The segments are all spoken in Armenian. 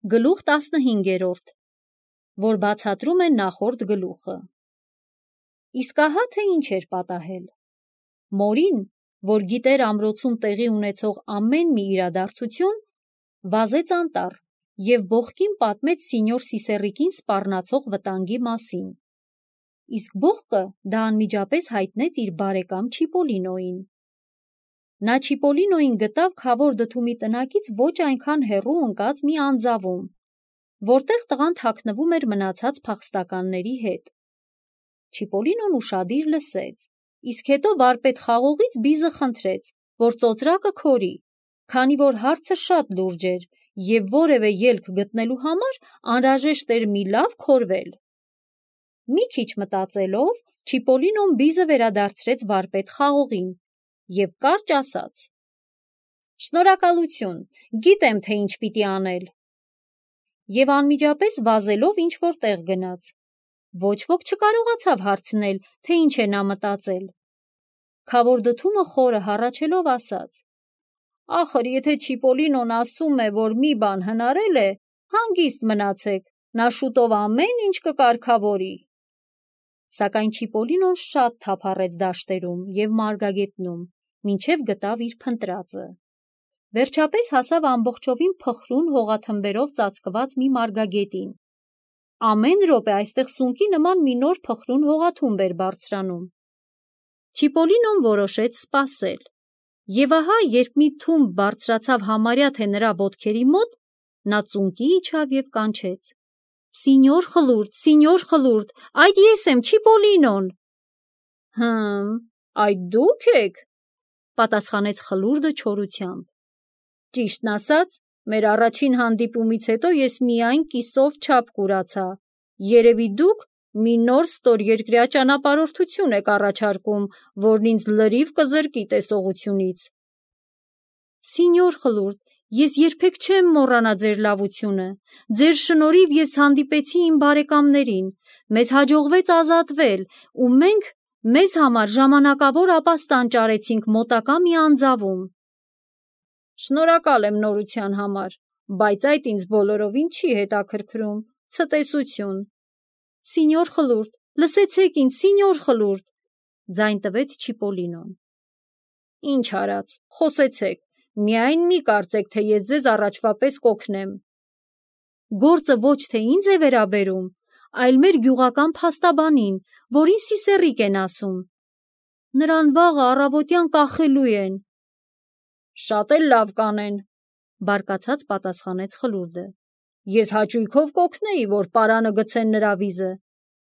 Գլուխ 15, որ բացատրում է նախորդ գլուխը։ Իսկ ահա թե ինչ էր պատահել։ Մորին, որ գիտեր ամրոցում տեղի ունեցող ամեն մի իրադարձություն, վազեց անտառ և բողկին պատմեց սինյոր Սիսեռիկին սպառնացող վտանգի մասին։ Իսկ բողկը դա անմիջապես հայտնեց իր բարեկամ Չիպոլինոյին։ Նա Չիպոլինոյին գտավ Քավոր դդումի տնակից ոչ այնքան հեռու ընկած մի անձավում, որտեղ տղան թաքնվում էր մնացած փախստականների հետ։ Չիպոլինոն ուշադիր լսեց, իսկ հետո վարպետ խաղողից բիզը խնդրեց, որ ծոծրակը քորի, քանի որ հարցը շատ լուրջ էր և որևէ ելք գտնելու համար անհրաժեշտ էր մի լավ քորվել։ Մի քիչ մտածելով, Չիպոլինոն բիզը վերադարձրեց վարպետ խաղողին և կարճ ասաց. «Շնորհակալություն, գիտեմ, թե ինչ պիտի անել»։ Եվ անմիջապես վազելով ինչ-որ տեղ գնաց։ Ոչ ոք չկարողացավ հարցնել, թե ինչ է նա մտածել։ Քավոր դդումը խորը հառաչելով ասաց. «Ախր եթե Չիպոլինոն ասում է, որ մի բան հնարել է, հանգիստ մնացեք, նա շուտով ամեն ինչ կկարգավորի»։ Սակայն Չիպոլինոն շատ թափառեց դաշտերում և մարգագետնում, մինչև գտավ իր փնտրածը։ Վերջապես հասավ ամբողջովին փխրուն հողաթմբերով ծածկված մի մարգագետին։ Ամեն րոպե այստեղ սունկի նման մի նոր փխրուն հողաթումբ էր բարձրանում։ Չիպոլինոն որոշեց սպասել։ Եվ ահա, երբ մի թումբ բարձրացավ համարյա թե նրա ոտքերի մոտ, նա ծունկի իջավ և կանչեց. Սինյոր Խլուրդ, այդ ես եմ, Չիպոլինոն։ Այդ դուք եք, պատասխանեց Խլուրդը չորությամբ։ Ճիշտն ասած, մեր առաջին հանդիպումից հետո ես միայն կիսով չափ կուրացա։ Երևի դուք մի նոր ստորերկրյա ճանապարհորդություն եք առաջարկում, որն ինձ լրիվ կզրկի տեսողությունից։ Սինյոր Խլուրդ, ես երբեք չեմ մոռանա ձեր լավությունը։ Ձեր շնորհիվ ես հանդիպեցի իմ բարեկամներին, մեզ հաջողվեց ազատվել, ու մենք մեզ համար ժամանակավոր ապաստան ճարեցինք մոտակա մի անձավում։ Շնորհակալ եմ նորության համար, բայց այդ ինձ բոլորովին չի հետաքրքրում, ցտեսություն։ Սինյոր Խլուրդ, լսեցեք ինձ, Սինյոր Խլուրդ, ձայն տվեց Չիպոլինոն։ Ինչ արած, խոսեցեք, միայն մի կարծեք, թե ես ձեզ առաջվա պես կօգնեմ։ Գործը ոչ թե ինձ է վերաբերում, այլ մեր գյուղական փաստաբանին, որին Սիսեռիկ են ասում։ Նրան վաղը առավոտյան կախելու են։ Շատ էլ լավ կանեն, բարկացած պատասխանեց Խլուրդը։ Ես հաճույքով կօգնեի, որ պարանը գցեն նրա վիզը։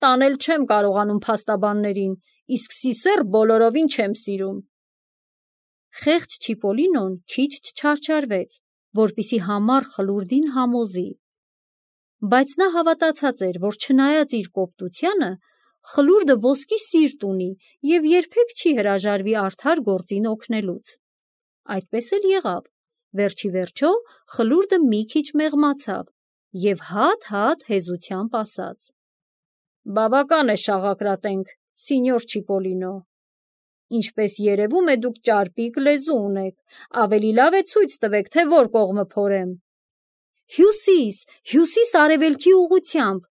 Տանել չեմ կարողանում փաստաբաններին, իսկ Սիսեռ բոլորովին չեմ սիրում։ Խեղճ Չիպոլինոն քիչ չչարչարվեց, որպեսզի համառ Խլուրդին համոզի։ Բայց նա հավատացած էր, որ չնայած իր կոպտությանը, Խլուրդը ոսկի սիրտ ունի և երբեք չի հրաժարվի արդար գործին օգնելուց։ Այդպես էլ եղավ։ Վերջի վերջո Խլուրդը մի քիչ մեղմացավ և հատ-հատ հեզությամբ ասաց. Բավական է շաղակրատենք, սինյոր Չիպոլինո։ Ինչպես երևում է, դուք ճարպիկ լեզու ունեք, ավելի լավ է ցույց տվեք, թե որ կողմը փորեմ։ Հյուսիս արևելքի ուղղությամբ,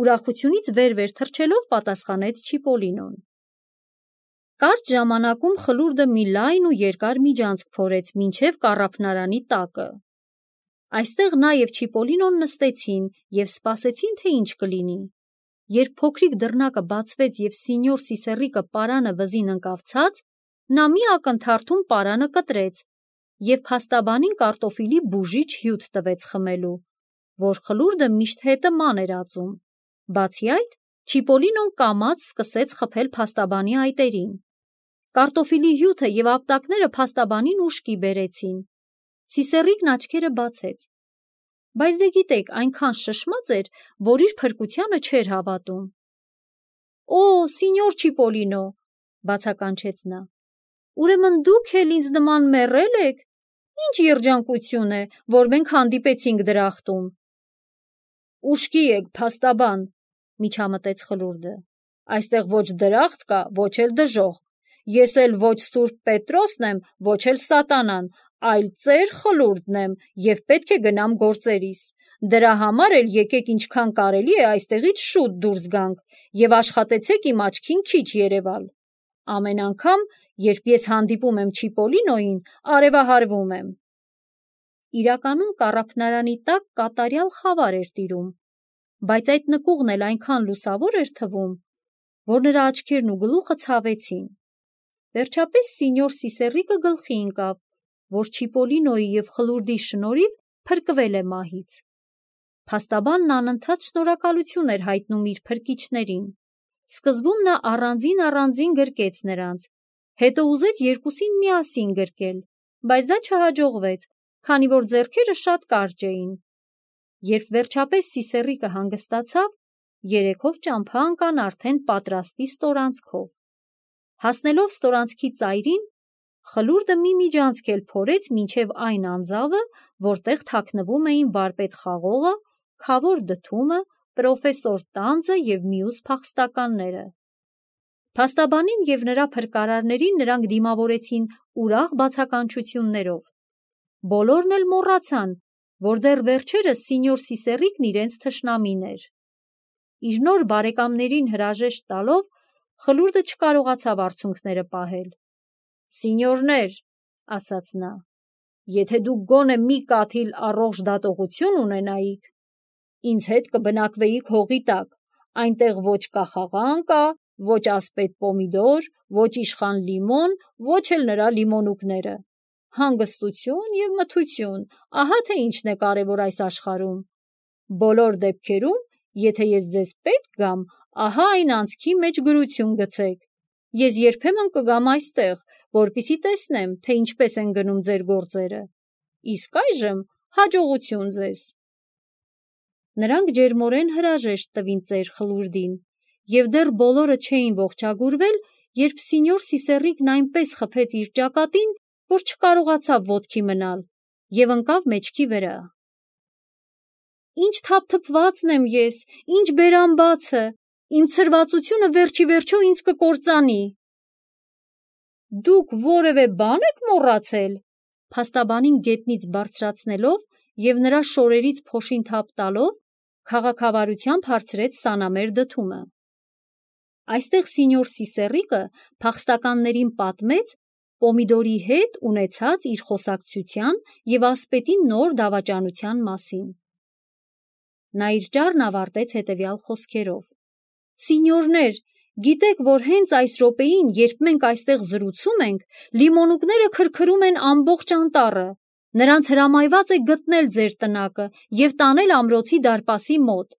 ուրախությունից վեր-վեր թռչելով պատասխանեց Չիպոլինոն։ Կարճ ժամանակում Խլուրդը մի լայն ու երկար միջանցք փորեց մինչև կառափնարանի տակը։ Այստեղ նա և Չիպոլինոն նստեցին և սպասեցին, թե ինչ կլինի։ Երբ փոքրիկ դռնակը բացվեց և սինյոր Սիսեռիկը պարանը վզին ընկավ ցած, նա մի ակնթարթում պարանը կտրեց և փաստաբանին կարտոֆիլի բուժիչ հյութ տվեց խմելու, որ Խլուրդը միշտ հետը ման էր ածում։ Բացի այդ, Չիպոլինոն կամաց սկսեց խփել փաստաբանի այտերին։ Կարտոֆիլի հյութը և ապտակները փաստաբանին ուշքի բերեցին։ Սիսեռիկն աչքերը բացեց։ Բայց դե գիտեք, այնքան շշմած էր, որ իր փրկությանը չէր հավատում։ Սինյոր Չիպոլինո, բացականչեց նա, ուրեմն դուք էլ ինձ նման մեռել եք։ Ինչ երջանկություն է, որ մենք հանդիպեցինք դրախտում։ Ուշքի եք, փաստաբան, միջամտեց Խլուրդը։ Այստեղ ոչ դրախտ կա, ոչ էլ դժոխք։ Ես էլ ոչ Սուրբ Պետրոսն եմ, ոչ էլ Սատանան, այլ ծեր Խլուրդն եմ և պետք է գնամ գործերիս։ Դրա համար էլ եկեք ինչքան կարելի է այստեղից շուտ դուրս գանք և աշխատեցեք իմ աչքին քիչ երևալ։ Ամեն անգամ, երբ ես հանդիպում եմ Չիպոլինոյին, արևահարվում եմ։ Իրականում կառափնարանի տակ կատարյալ խավար էր տիրում, բայց այդ նկուղն էլ այնքան լուսավոր էր թվում, որ նրա աչքերն ու գլուխը ցավեցին։ Վերջապես սինյոր Սիսեռիկը գլխի ընկավ, որ Չիպոլինոյի և խլուրդի շնորհիվ փրկվել է մահից։ Փաստաբանն անընդհատ շնորհակալություն էր հայտնում իր փրկիչներին։ Սկզբում նա առանձին գրկեց նրանց, հետո ուզեց երկուսին միասին գրկել, բայց դա չհաջողվեց, քանի որ ձեռքերը շատ կարճ էին։ Երբ վերջապես Սիսեռիկը հանգստացավ, երեքով ճամփա ընկան արդեն պատրաստի ստորանցքով։ Հասնելով ստորանցքի ծայրին, խլուրդը մի միջանցք էլ փորեց մինչև այն անձավը, որտեղ թաքնվում էին վարպետ Խաղողը, Քավոր Դդումը, պրոֆեսոր Տանձը և մյուս փախստականները։ Փաստաբանին և նրա փրկարարներին նրանք դիմավորեցին ուրախ բացականչություններով։ Բոլորն էլ մոռացան, որ դեռ վերջերս սինյոր Սիսեռիկն իրենց թշնամին էր։ Իր նոր բարեկամներին հրաժեշտ տալով, խլուրդը չկարողացավ արցունքները պահել։ «Սինյորներ», ասաց նա, «եթե դուք գոնե մի կաթիլ առողջ դատողություն ունենայիք, ինձ հետ կբնակվեիք հողի տակ, այնտեղ ոչ կախաղան կա, ոչ ասպետ պոմիդոր, ոչ իշխան լիմոն, ոչ էլ նրա լիմոնուկները։ Հանգստություն և մթություն, ահա թե ինչն է կարևոր այս աշխարհում։ Բոլոր դեպքերում, եթե ես ձեզ պետք գամ, ահա այն անցքի մեջ գրություն գցեք։ Ես երբեմն կգամ այստեղ, որպեսզի տեսնեմ, թե ինչպես են գնում ձեր գործերը։ Իսկ այժմ հաջողություն ձեզ»։ Նրանք ջերմորեն հրաժեշտ տվին ծեր խլուրդին, և դեռ բոլորը չէին ողջագուրվել, երբ սինյոր Սիսեռիկն այնպես խփեց իր ճակատին, որ չկարողացավ ոտքի մնալ և ընկավ մեջքի վրա։ «Ինչ թափթփվածն եմ ես, ինչ բերանբացը, իմ ցրվածությունը վերջիվերջո ինձ կկործանի»։ «Դուք որևէ բան եք մոռացել»։ Փաստաբանին գետնից բարձրացնելով և նրա շորերից փոշին թափ տալով, քաղաքավարությամբ հարցրեց սանամեր Դդումը։ Այստեղ սինյոր Սիսեռիկը փախստականներին պատմեց պոմիդորի հետ ունեցած իր խոսակցության և ասպետի նոր դավաճանության մասին։ Նա իր ճառն ավարտեց հետևյալ խոսքերով. «Սինյորներ, գիտեք, որ հենց այս րոպեին, երբ մենք այստեղ զրուցում ենք, լիմոնուկները քրքրում են ամբողջ անտառը։ Նրանց հրամայված է գտնել ձեր տնակը և տանել ամրոցի դարպասի մոտ»։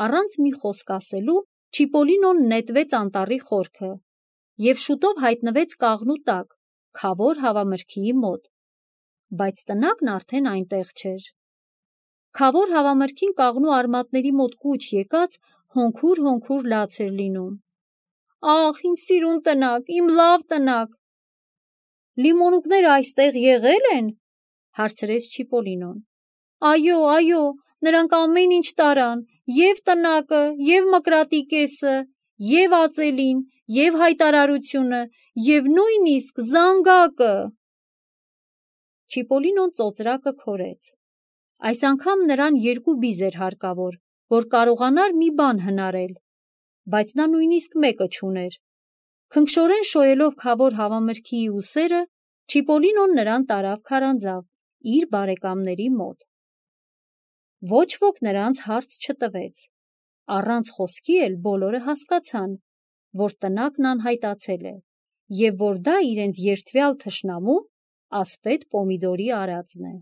Առանց մի խոսք ասելու, Չիպոլինոն նետվեց անտառի խորքը և շուտով հայտնվեց կաղնու տակ, Քավոր հավամրգիի մոտ, բայց տնակն արդեն այնտեղ չէր։ Քավոր հավամրգին կաղնու արմատների մոտ կուչ եկած հոնքուր լաց էր լինում։ «Ախ, իմ սիրուն տնակ, իմ լավ տնակ»։ «Լիմոնուկները այստեղ եղել են»։ հարցրեց Չիպոլինոն։ Այո, նրանք ամեն ինչ տարան, և տնակը, և մկրատի կեսը, և ածելին, և հայտարարությունը, և նույնիսկ զանգակը։ Չիպոլինոն ծոծրակը քորեց։ Այս անգամ նրան երկու բիզ էր հարկավոր, որ կարողանար մի բան հնարել, բայց նա նույնիսկ մեկը չուներ։ Քնքշորեն շոյելով Քավոր հավամրգիի ուսերը, Չիպոլինոն նրան տարավ քարանձավ, իր բարեկամների մոտ։ Ոչ ոք նրանց հարց չտվեց։ Առանց խոսքի էլ բոլորը հասկացան, որ տնակն անհայտացել է, և որ դա իրենց երդվյալ թշնամու ասպետ պոմիդորի արածն է։